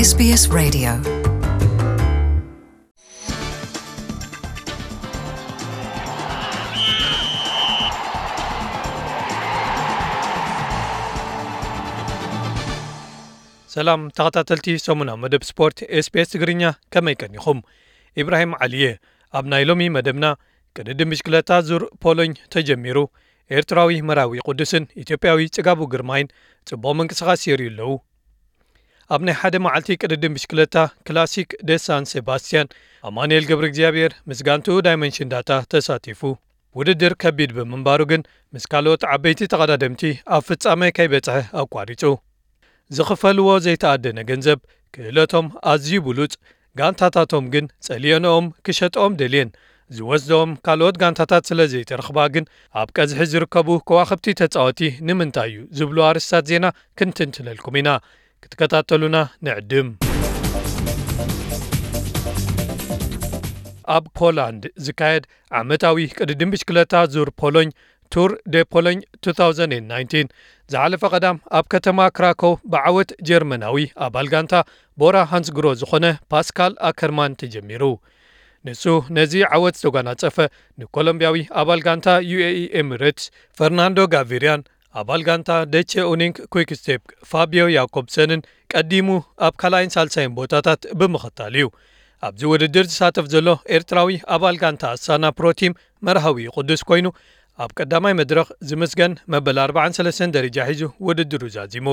S B S Radio. ሰላም ተኸታተልቲ ሰሙናዊ መደብ ስፖርት ኤስ ቢ ኤስ ትግርኛ፣ ከመይ ቀኒኹም? ኢብራሂም ዓሊ እየ። ኣብ ናይ ሎሚ መደብና፣ ቅድድም ብሽክለታ ዙር ፖሎኝ ተጀሚሩ። ኤርትራዊ መርሃዊ ቅዱስን ኢትዮጵያዊ ጽጋቡ ግርማይን ጽቡቕ ምንቅስቓስ የርእዩ ኣለዉ። ኣብ ናይ ሓደ መዓልቲ ቅድድም ብሽክለታ ክላሲክ ደ ሳን ሴባስቲያን፣ ኣማኑኤል ገብረ እግዚኣብሔር ምስ ጋንትኡ ዳይመንሽን ዳታ ተሳቲፉ። ውድድር ከቢድ ብምንባሩ ግን፣ ምስ ካልኦት ዓበይቲ ተቐዳደምቲ ኣብ ፍጻመ ከይበጽሐ ኣቋሪጹ። ዝኽፈልዎ ዘይተኣደነ ገንዘብ፣ ክእለቶም ኣዝዩ ብሉጽ፣ ጋንታታቶም ግን ጸሊኤንኦም ክሸጥኦም ደልየን፣ ዝወስድኦም ካልኦት ጋንታታት ስለ ዘይተረኽባ ግን፣ ኣብ ቀዝሒ ዝርከቡ ከዋኽብቲ ተጻወቲ ንምንታይ እዩ ዝብሉ ኣርእስታት ዜና ክንትንትነልኩም ኢና። ክትከታተሉና ንዕድም። ኣብ ፖላንድ ዝካየድ ዓመታዊ ቅድድም ብሽክለታ ዙር ፖሎኝ፣ ቱር ደ ፖሎኝ two thousand nineteen፣ ዝሓለፈ ቀዳም ኣብ ከተማ ክራኮው ብዓወት ጀርመናዊ ኣባል ጋንታ ቦራ ሃንስግሮ ዝኾነ ፓስካል ኣከርማን ተጀሚሩ። ንሱ ነዚ ዓወት ዝተጓናጸፈ፣ ንኮሎምቢያዊ ኣባል ጋንታ ዩ ኤ ኢ ኤሚሬትስ ፈርናንዶ ጋቪርያን ኣባል ጋንታ ደቸ ኡኒንግ ኩይክ ስቴፕ ፋቢዮ ያኮብሰንን ቀዲሙ ኣብ ካልኣይን ሳልሳይን ቦታታት ብምኽታል እዩ። ኣብዚ ውድድር ዝሳተፍ ዘሎ ኤርትራዊ ኣባል ጋንታ ኣሳና ፕሮቲም መርሃዊ ቅዱስ ኮይኑ፣ ኣብ ቀዳማይ መድረኽ ዝምስገን መበል ኣርባዓን ሰለስተን ደረጃ ሒዙ ውድድሩ ዛዚሙ።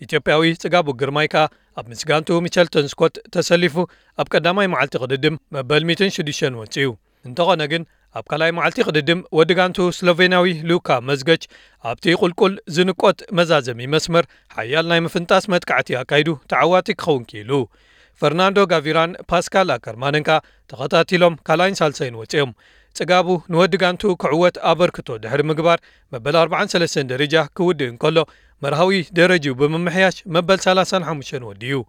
ኢትዮጵያዊ ጽጋቡ ግርማይ ከኣ ኣብ ምስ ጋንትኡ ሚቸልተን ስኮት ተሰሊፉ ኣብ ቀዳማይ መዓልቲ ቅድድም መበል ሚእትን ሽዱሽተን ወጺኡ። እንተኾነ ግን፣ ኣብ ካልኣይ መዓልቲ ቅድድም ወዲ ጋንትኡ ስሎቬንያዊ ሉካ መዝገች ኣብቲ ቁልቁል ዝንቆት መዛዘሚ መስመር ሓያል ናይ ምፍንጣስ መጥቃዕቲ ኣካይዱ ተዓዋቲ ክኸውን ክኢሉ። ፈርናንዶ ጋቪራን ፓስካል ኣከርማንን ከኣ ተኸታቲሎም ካልኣይን ሳልሳይን ወጺኦም። ጽጋቡ ንወዲ ጋንትኡ ክዕወት ኣበርክቶ ድሕሪ ምግባር መበል ኣርባዓን ሰለስተን ደረጃ ክውድእ እንከሎ፣ መርሃዊ ደረጅኡ ብምምሕያሽ መበል ሰላሳን ሓሙሽተን ወዲኡ።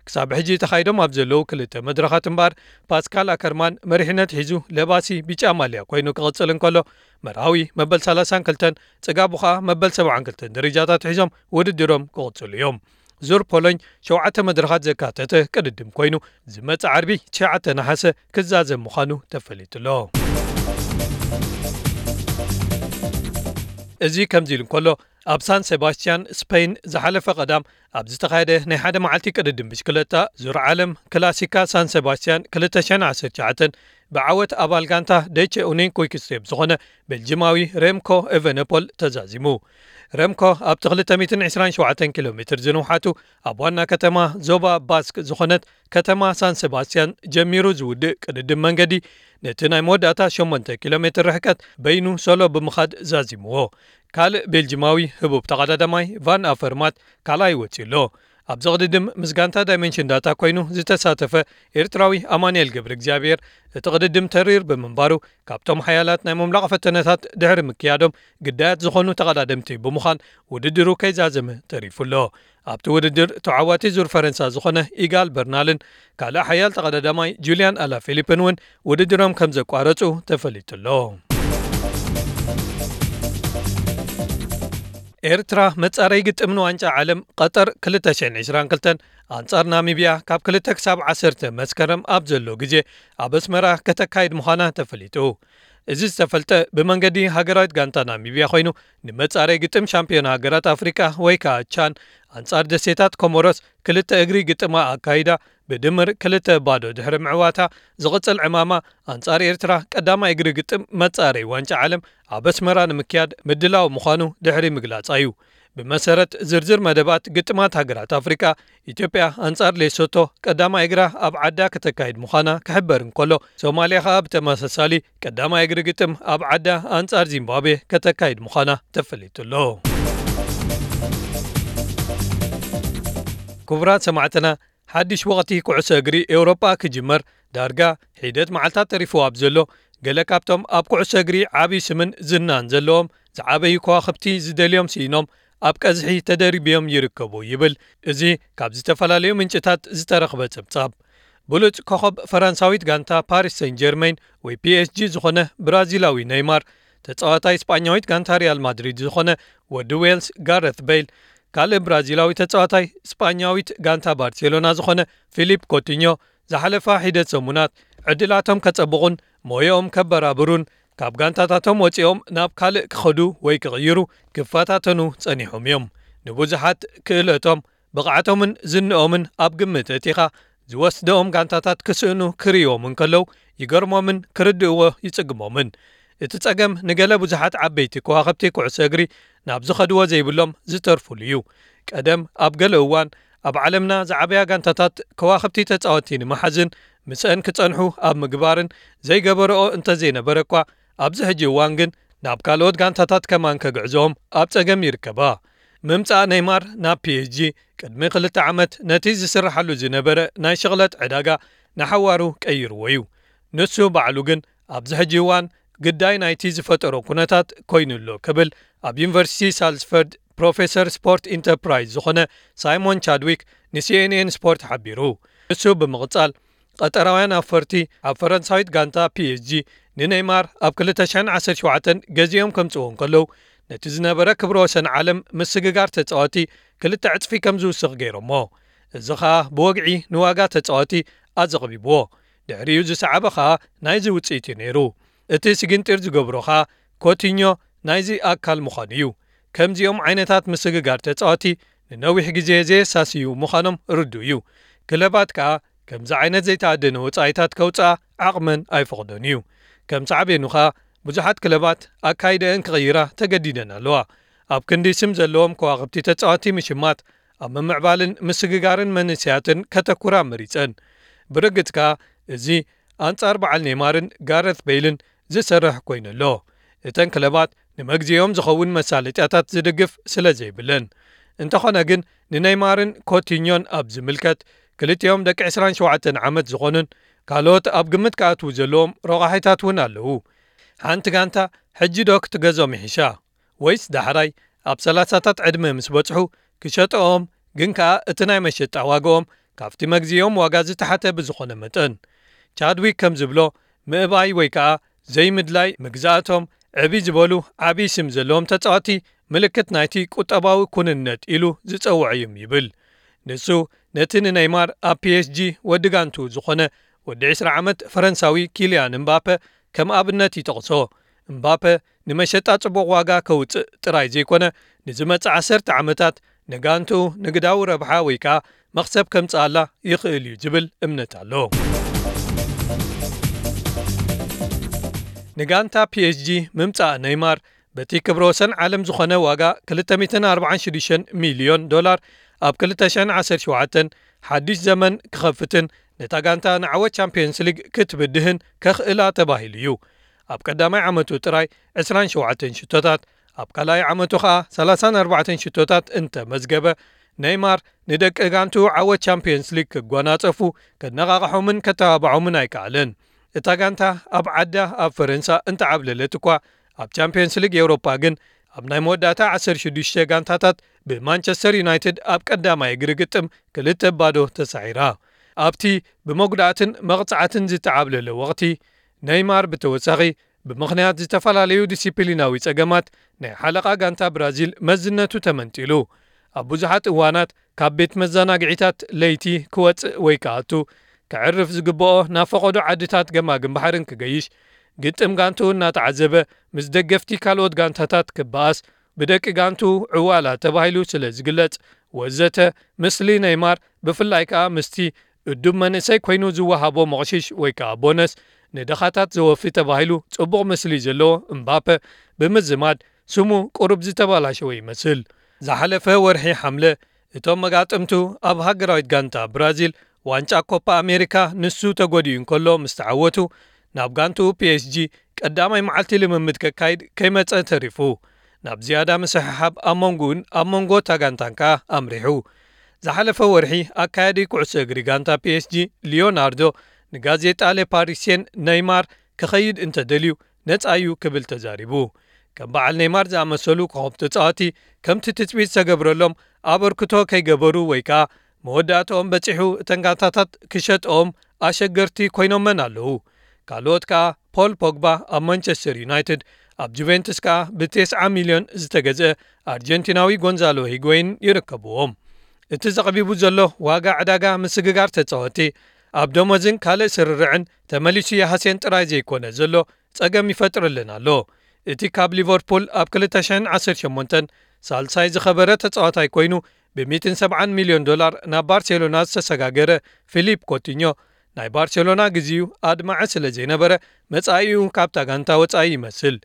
ክሳብ ሕጂ ተኻይዶም ኣብ ዘለዉ ክልተ መድረኻት እምበኣር፣ ፓስካል ኣከርማን መሪሕነት ሒዙ ለባሲ ቢጫ ማልያ ኮይኑ ክቕጽል እንከሎ፣ መርሃዊ መበል ሰላሳን ክልተን፣ ጽጋቡ ኸኣ መበል ሰብዓን ክልተን ደረጃታት ሒዞም ውድድሮም ክቕጽሉ እዮም። ዙር ፖሎኝ ሸውዓተ መድረኻት ዘካተተ ቅድድም ኮይኑ፣ ዝመጽእ ዓርቢ ትሽዓተ ነሓሰ ክዛዘም ምዃኑ ተፈሊጡ ኣሎ። እዚ ከምዚ ኢሉ እንከሎ፣ ኣብ ሳን ሴባስቲያን ስፔን ዝሓለፈ ቀዳም ኣብ ዝተኻየደ ናይ ሓደ መዓልቲ ቅድድም ብሽክለታ ዙር ዓለም ክላሲካ ሳን ሴባስቲያን ክልተ ሽሕን ዓሰርተ ትሽዓተን ብዓወት ኣባል ጋንታ ደቸ ኡኒን ኩይክ ስቴፕ ዝኾነ ቤልጂማዊ ሬምኮ ኤቨነፖል ተዛዚሙ። ረምኮ ኣብቲ ክልተ ሚእትን ዕስራን ሸውዓተን ኪሎ ሜትር ዝንውሓቱ ኣብ ዋና ከተማ ዞባ ባስክ ዝኾነት ከተማ ሳን ሴባስቲያን ጀሚሩ ዝውድእ ቅድድም መንገዲ፣ ነቲ ናይ መወዳእታ ሸሞንተ ኪሎ ሜትር ርሕቀት በይኑ ሶሎ ብምኻድ ዛዚምዎ። ካልእ ቤልጂማዊ ህቡብ ተቐዳዳማይ ቫን ኣፈርማት ካልኣይ ወጺኡ ኣሎ። ኣብዚ ቅድድም ምስ ጋንታ ዳይመንሽን ዳታ ኮይኑ ዝተሳተፈ ኤርትራዊ ኣማኑኤል ገብረ እግዚኣብሔር፣ እቲ ቅድድም ተሪር ብምንባሩ፣ ካብቶም ሓያላት ናይ ምምላቕ ፈተነታት ድሕሪ ምክያዶም፣ ግዳያት ዝኾኑ ተቐዳደምቲ ብምዃን ውድድሩ ከይዛዘመ ተሪፉ ኣሎ። ኣብቲ ውድድር ተዓዋቲ ዙር ፈረንሳ ዝኾነ ኢጋል በርናልን ካልእ ሓያል ተቐዳዳማይ ጁልያን ኣላፊሊፕን እውን ውድድሮም ከም ዘቋረጹ ተፈሊጡ ኣሎ። ኤርትራ መጻረይ ግጥም ንዋንጫ ዓለም ቀጠር ክልተ ሽሕን ዕስራን ክልተን ኣንጻር ናሚብያ ካብ ክልተ ክሳብ ዓሰርተ መስከረም ኣብ ዘሎ ግዜ ኣብ ኣስመራ ከተካይድ ምዃና ተፈሊጡ። እዚ ዝተፈልጠ ብመንገዲ ሃገራዊት ጋንታ ናሚብያ ኮይኑ፣ ንመጻረይ ግጥም ሻምፒዮን ሃገራት ኣፍሪቃ ወይ ከኣ ቻን ኣንጻር ደሴታት ኮሞሮስ ክልተ እግሪ ግጥማ ኣካይዳ ብድምር ክልተ ባዶ ድሕሪ ምዕዋታ፣ ዝቕጽል ዕማማ ኣንጻር ኤርትራ ቀዳማይ እግሪ ግጥም መጻረይ ዋንጫ ዓለም ኣብ ኣስመራ ንምክያድ ምድላው ምዃኑ ድሕሪ ምግላጻ እዩ። ብመሰረት ዝርዝር መደባት ግጥማት ሃገራት ኣፍሪቃ፣ ኢትዮጵያ ኣንጻር ሌሶቶ ቀዳማይ እግራ ኣብ ዓዳ ከተካይድ ምዃና ክሕበር እንከሎ፣ ሶማልያ ከኣ ብተመሳሳሊ ቀዳማይ እግሪ ግጥም ኣብ ዓዳ ኣንጻር ዚምባብዌ ከተካይድ ምዃና ተፈሊጡ ኣሎ። ክቡራት ሰማዕትና፣ ሓድሽ ወቕቲ ኩዕሶ እግሪ ኤውሮጳ ክጅመር ዳርጋ ሒደት መዓልታት ተሪፉ ኣብ ዘሎ፣ ገለ ካብቶም ኣብ ኩዕሶ እግሪ ዓቢ ስምን ዝናን ዘለዎም ዝዓበዩ ከዋኽብቲ ዝደልዮም ስኢኖም ኣብ ቀዝሒ ተደርብዮም ይርከቡ ይብል እዚ ካብ ዝተፈላለዩ ምንጭታት ዝተረኽበ ጸብጻብ። ብሉጽ ኮኸብ ፈረንሳዊት ጋንታ ፓሪስ ሰን ጀርመን ወይ ፒ ኤስ ጂ ዝኾነ ብራዚላዊ ኔይማር፣ ተጻዋታይ ስጳኛዊት ጋንታ ሪያል ማድሪድ ዝኾነ ወዲ ዌልስ ጋረት ቤይል፣ ካልእ ብራዚላዊ ተጻዋታይ ስጳኛዊት ጋንታ ባርሴሎና ዝኾነ ፊሊፕ ኮቲኞ ዝሓለፋ ሒደት ሰሙናት ዕድላቶም ከጸብቑን ሞያኦም ከበራብሩን ካብ ጋንታታቶም ወጺኦም ናብ ካልእ ክኸዱ ወይ ክቕይሩ ክፈታተኑ ጸኒሖም እዮም። ንብዙሓት ክእለቶም፣ ብቕዓቶምን ዝንኦምን ኣብ ግምት ኣእቲኻ ዝወስድኦም ጋንታታት ክስእኑ ክርእይዎም እንከለዉ ይገርሞምን ክርድእዎ ይጽግሞምን። እቲ ጸገም ንገለ ብዙሓት ዓበይቲ ከዋኽብቲ ኩዕሶ እግሪ ናብ ዝኸድዎ ዘይብሎም ዝተርፉሉ እዩ። ቀደም ኣብ ገለ እዋን ኣብ ዓለምና ዝዓበያ ጋንታታት ከዋኽብቲ ተጻወትቲ ንምሓዝን ምስአን ክጸንሑ ኣብ ምግባርን ዘይገበረኦ እንተዘይነበረ እኳ ኣብዚ ሕጂ እዋን ግን ናብ ካልኦት ጋንታታት ከማን ከግዕዞም ኣብ ጸገም ይርከባ። ምምጻእ ኔይማር ናብ ፒ ኤስ ጂ ቅድሚ ክልተ ዓመት ነቲ ዝስርሓሉ ዝነበረ ናይ ሽቕለት ዕዳጋ ንሓዋሩ ቀይርዎ እዩ። ንሱ ባዕሉ ግን ኣብዚ ሕጂ እዋን ግዳይ ናይቲ ዝፈጠሮ ኩነታት ኮይኑ ኣሎ ክብል ኣብ ዩኒቨርሲቲ ሳልስፈርድ ፕሮፌሰር ስፖርት ኢንተርፕራይዝ ዝኾነ ሳይሞን ቻድዊክ ን ሲ ኤን ኤን ስፖርት ሓቢሩ። ንሱ ብምቕጻል ቀጠራውያን ኣፈርቲ ኣብ ፈረንሳዊት ጋንታ ፒ ኤስ ጂ ንኔይማር ኣብ ክልተ ሽሕን ዓሰርተ ሸውዓተን ገዚኦም ከምጽእዎ እንከለዉ ነቲ ዝነበረ ክብረ ወሰን ዓለም ምስግጋር ተጻወቲ ክልተ ዕጽፊ ከም ዝውስኽ ገይሮሞ። እዚ ኸኣ ብወግዒ ንዋጋ ተጻወቲ ኣዘቕቢብዎ። ድሕሪኡ ዝሰዓበ ኸኣ ናይዚ ውጽኢት እዩ ነይሩ። እቲ ስግንጢር ዝገብሮ ኸኣ ኮቲኞ ናይዚ ኣካል ምዃኑ እዩ። ከምዚኦም ዓይነታት ምስግጋር ተጻወቲ ንነዊሕ ግዜ ዘየሳስዩ ምዃኖም ርዱእ እዩ። ክለባት ከኣ ከምዚ ዓይነት ዘይተኣደነ ወጻኢታት ከውጽኣ ዓቕመን ኣይፈቕዶን እዩ። ከም ሳዕቤኑ ከኣ ብዙሓት ክለባት ኣካይደአን ክቕይራ ተገዲደን ኣለዋ። ኣብ ክንዲ ስም ዘለዎም ከዋኽብቲ ተጻወቲ ምሽማት ኣብ ምምዕባልን ምስግጋርን መንእሰያትን ከተኩራ መሪጸን። ብርግጽ ከኣ እዚ ኣንጻር በዓል ኔይማርን ጋረት ቤይልን ዝሰርሕ ኮይኑ ኣሎ። እተን ክለባት ንመግዚኦም ዝኸውን መሳለጥያታት ዝድግፍ ስለ ዘይብለን። እንተኾነ ግን ንኔይማርን ኮቲኞን ኣብ ዝምልከት ክልቲኦም ደቂ ዕስራን ሸውዓተን ዓመት ዝኾኑን ካልኦት ኣብ ግምት ክኣትዉ ዘለዎም ረቋሒታት እውን ኣለዉ። ሓንቲ ጋንታ ሕጂ ዶ ክትገዝኦም ይሕሻ? ወይስ ዳሕራይ ኣብ ሰላሳታት ዕድመ ምስ በጽሑ ክሸጥኦም፣ ግን ከኣ እቲ ናይ መሸጣ ዋጋኦም ካብቲ መግዚኦም ዋጋ ዝተሓተ ብዝኾነ መጠን? ቻድዊክ ከም ዝብሎ፣ ምእባይ ወይ ከኣ ዘይምድላይ ምግዛእቶም ዕቢ ዝበሉ ዓቢ ስም ዘለዎም ተጻወቲ ምልክት ናይቲ ቁጠባዊ ኩንነት ኢሉ ዝጸውዖ እዩም ይብል። ንሱ ነቲ ንነይማር ኣብ ፒ ኤስ ጂ ወዲ ጋንቱ ዝኾነ ወዲ ዕስራ ዓመት ፈረንሳዊ ኪልያን እምባፐ ከም ኣብነት ይጠቕሶ። እምባፐ ንመሸጣ ጽቡቕ ዋጋ ከውጽእ ጥራይ ዘይኮነ ንዝመጽእ ዓሰርተ ዓመታት ንጋንቱ ንግዳዊ ረብሓ ወይ ከኣ መኽሰብ ከምጽኣላ ይኽእል እዩ ዝብል እምነት ኣሎ። ንጋንታ ፒ ኤስ ጂ ምምጻእ ነይማር በቲ ክብረ ወሰን ዓለም ዝኾነ ዋጋ ክልተ ሚእትን ኣርባዓን ሽዱሽተን ሚልዮን ዶላር ኣብ ክልተ ሽሕን ዓሰርተ ሸውዓተን ሓድሽ ዘመን ክኸፍትን ነታ ጋንታ ንዓወት ቻምፕዮንስ ሊግ ክትብድህን ከኽእላ ተባሂሉ እዩ። ኣብ ቀዳማይ ዓመቱ ጥራይ ዕስራን ሸውዓተን ሽቶታት፣ ኣብ ካልኣይ ዓመቱ ኸኣ ሰላሳን ኣርባዕተን ሽቶታት እንተመዝገበ፣ ነይማር ንደቂ ጋንቱ ዓወት ቻምፕዮንስ ሊግ ክጓናጸፉ ከነቓቕሖምን ከተባብዖምን ኣይከኣለን። እታ ጋንታ ኣብ ዓዳ ኣብ ፈረንሳ እንተዓብለለት እኳ፣ ኣብ ቻምፕዮንስ ሊግ ኤውሮፓ ግን ኣብ ናይ መወዳእታ ዓሰርተ ሽዱሽተ ጋንታታት ብማንቸስተር ዩናይትድ ኣብ ቀዳማይ እግሪ ግጥም ክልተ ባዶ ተሳዒራ። ኣብቲ ብመጉዳእትን መቕጻዕትን ዝተዓብለለ ወቕቲ፣ ነይማር ብተወሳኺ ብምኽንያት ዝተፈላለዩ ዲሲፕሊናዊ ጸገማት ናይ ሓለቓ ጋንታ ብራዚል መዝነቱ ተመንጢሉ። ኣብ ብዙሓት እዋናት ካብ ቤት መዘናግዒታት ለይቲ ክወጽእ ወይ ክኣቱ፣ ከዕርፍ ዝግብኦ ናብ ፈቐዶ ዓድታት ገማግም ባሕርን ክገይሽ፣ ግጥም ጋንትኡ እናተዓዘበ ምስ ደገፍቲ ካልኦት ጋንታታት ክበኣስ፣ ብደቂ ጋንትኡ ዕዋላ ተባሂሉ ስለ ዝግለጽ፣ ወዘተ፣ ምስሊ ነይማር ብፍላይ ከኣ ምስቲ እዱብ መንእሰይ ኮይኑ ዝወሃቦ መቕሽሽ ወይ ከኣ ቦነስ ንደኻታት ዘወፊ ተባሂሉ ጽቡቕ ምስሊ ዘለዎ እምባፐ ብምዝማድ ስሙ ቁሩብ ዝተበላሸወ ይመስል። ዝሓለፈ ወርሒ ሓምለ እቶም መጋጥምቱ ኣብ ሃገራዊት ጋንታ ብራዚል ዋንጫ ኮፓ ኣሜሪካ ንሱ ተጎዲኡ እንከሎ ምስ ተዓወቱ ናብ ጋንትኡ ፒ ኤስ ጂ ቀዳማይ መዓልቲ ልምምድ ከካይድ ከይመጸ ተሪፉ። ናብ ዝያዳ ምስሕሓብ ኣብ መንጎኡን ኣብ መንጎ እታ ጋንታን ከኣ ኣምሪሑ። ዝሓለፈ ወርሒ ኣካያዲ ኩዕሶ እግሪ ጋንታ ፒ ኤስ ጂ ሊዮናርዶ ንጋዜጣ ሌ ፓሪስየን ነይማር ክኸይድ እንተደልዩ ነጻ እዩ ክብል ተዛሪቡ። ከም በዓል ነይማር ዝኣመሰሉ ኮኸብ ተጻወቲ ከምቲ ትጽቢት ዝተገብረሎም ኣበርክቶ ከይገበሩ ወይ ከኣ መወዳእትኦም በጺሑ እተን ጋንታታት ክሸጥኦም ኣሸገርቲ ኮይኖመን ኣለዉ። ካልኦት ከኣ ፖል ፖግባ ኣብ ማንቸስተር ዩናይትድ፣ ኣብ ጁቬንቱስ ከኣ ብ90 ሚልዮን ዝተገዝአ ኣርጀንቲናዊ ጎንዛሎ ሂጎይን ይርከብዎም። እቲ ዘቕቢቡ ዘሎ ዋጋ ዕዳጋ ምስግጋር ተጻወቲ ኣብ ደሞዝን ካልእ ስርርዕን ተመሊሱ ይሃስየን ጥራይ ዘይኮነ ዘሎ ጸገም ይፈጥርልን ኣሎ። እቲ ካብ ሊቨርፑል ኣብ ክልተ ሽሕን ዓሰርተ ሸሞንተን ሳልሳይ ዝኸበረ ተጻዋታይ ኮይኑ ብ170 ሚልዮን ዶላር ናብ ባርሴሎና ዝተሰጋገረ ፊሊፕ ኮቲኞ ናይ ባርሴሎና ግዜኡ ኣድማዒ ስለ ዘይነበረ መጻኢኡ ካብታ ጋንታ ወጻኢ ይመስል።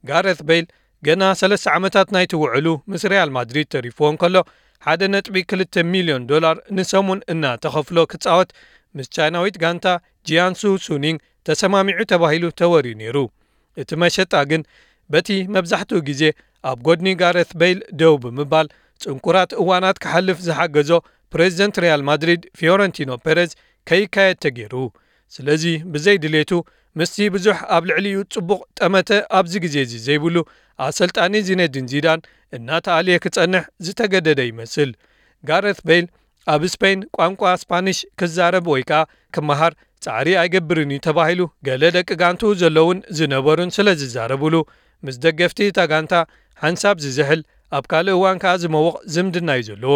ጋረት ቤል ገና ሰለስተ ዓመታት ናይቲ ውዕሉ ምስ ሪያል ማድሪድ ተሪፍዎ እንከሎ ሓደ ነጥቢ ክልተ ሚልዮን ዶላር ንሰሙን እናተኸፍሎ ክጻወት ምስ ቻይናዊት ጋንታ ጂያንሱ ሱኒንግ ተሰማሚዑ ተባሂሉ ተወርዩ ነይሩ። እቲ መሸጣ ግን በቲ መብዛሕትኡ ግዜ ኣብ ጎድኒ ጋረት ቤል ደው ብምባል ጽንኩራት እዋናት ክሓልፍ ዝሓገዞ ፕሬዚደንት ሪያል ማድሪድ ፊዮረንቲኖ ፔሬዝ ከይካየድ ተገይሩ። ስለዚ ብዘይ ድሌቱ ምስቲ ብዙሕ ኣብ ልዕሊኡ ጽቡቕ ጠመተ ኣብዚ ግዜ እዚ ዘይብሉ ኣሰልጣኒ ዚነዲን ዚዳን እናተኣልየ ክጸንሕ ዝተገደደ ይመስል። ጋረት ቤል ኣብ ስፔን ቋንቋ ስፓኒሽ ክዛረብ ወይ ከኣ ክመሃር ጻዕሪ ኣይገብርን እዩ ተባሂሉ ገለ ደቂ ጋንትኡ ዘለውን ዝነበሩን ስለ ዝዛረብሉ ምስ ደገፍቲ እታ ጋንታ ሓንሳብ ዝዝሕል ኣብ ካልእ እዋን ከኣ ዝመውቕ ዝምድና እዩ ዘለዎ።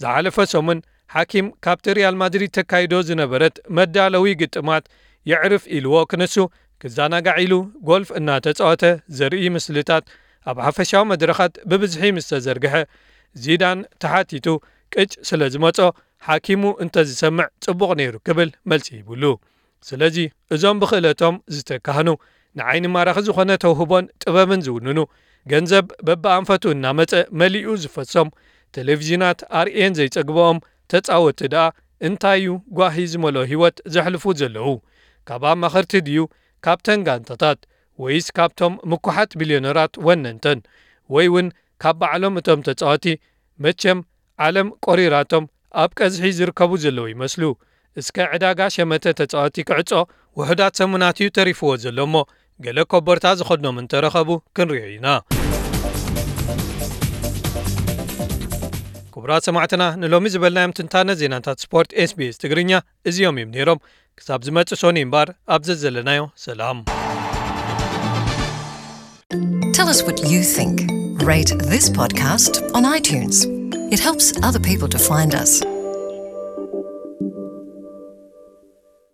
ዝሓለፈ ሰሙን ሓኪም ካብቲ ሪያል ማድሪድ ተካይዶ ዝነበረት መዳለዊ ግጥማት የዕርፍ ኢልዎ ክነሱ ክዘናጋዕ ኢሉ ጎልፍ እናተጻወተ ዘርኢ ምስልታት ኣብ ሓፈሻዊ መድረኻት ብብዝሒ ምስ ተዘርግሐ ዚዳን ተሓቲቱ ቅጭ ስለ ዝመጾ ሓኪሙ እንተዝሰምዕ ጽቡቕ ነይሩ ክብል መልሲ ሂብሉ። ስለዚ እዞም ብኽእለቶም ዝተካህኑ ንዓይኒ ማራኺ ዝኾነ ተውህቦን ጥበብን ዝውንኑ ገንዘብ በብኣንፈቱ እናመጸ መሊኡ ዝፈሶም ቴሌቪዥናት ኣርእየን ዘይጸግብኦም ተጻወቲ ደኣ እንታይ እዩ ጓሂ ዝመልኦ ህይወት ዘሕልፉ ዘለዉ? ካብ ኣማኸርቲ ድዩ ካብተን ጋንታታት ወይስ ካብቶም ምኩሓት ቢልዮነራት ወነንተን ወይ እውን ካብ ባዕሎም እቶም ተጻወቲ? መቸም ዓለም ቆሪራቶም ኣብ ቀዝሒ ዝርከቡ ዘለዉ ይመስሉ። እስከ ዕዳጋ ሸመተ ተጻወቲ ክዕጾ ውሑዳት ሰሙናት እዩ ተሪፍዎ ዘሎ እሞ ገለ ኮቦርታ ዝኸድኖም እንተረኸቡ ክንሪኦ ኢና። ክቡራት ሰማዕትና ንሎሚ ዝበልናዮም ትንታነ ዜናታት ስፖርት SBS ትግርኛ እዚኦም እዮም ነይሮም። ክሳብ ዝመጽእ ሶኒ እምበር ኣብ ዘዘለናዮ ሰላም። Tell us what you think. Rate this podcast on iTunes. It helps other people to find us.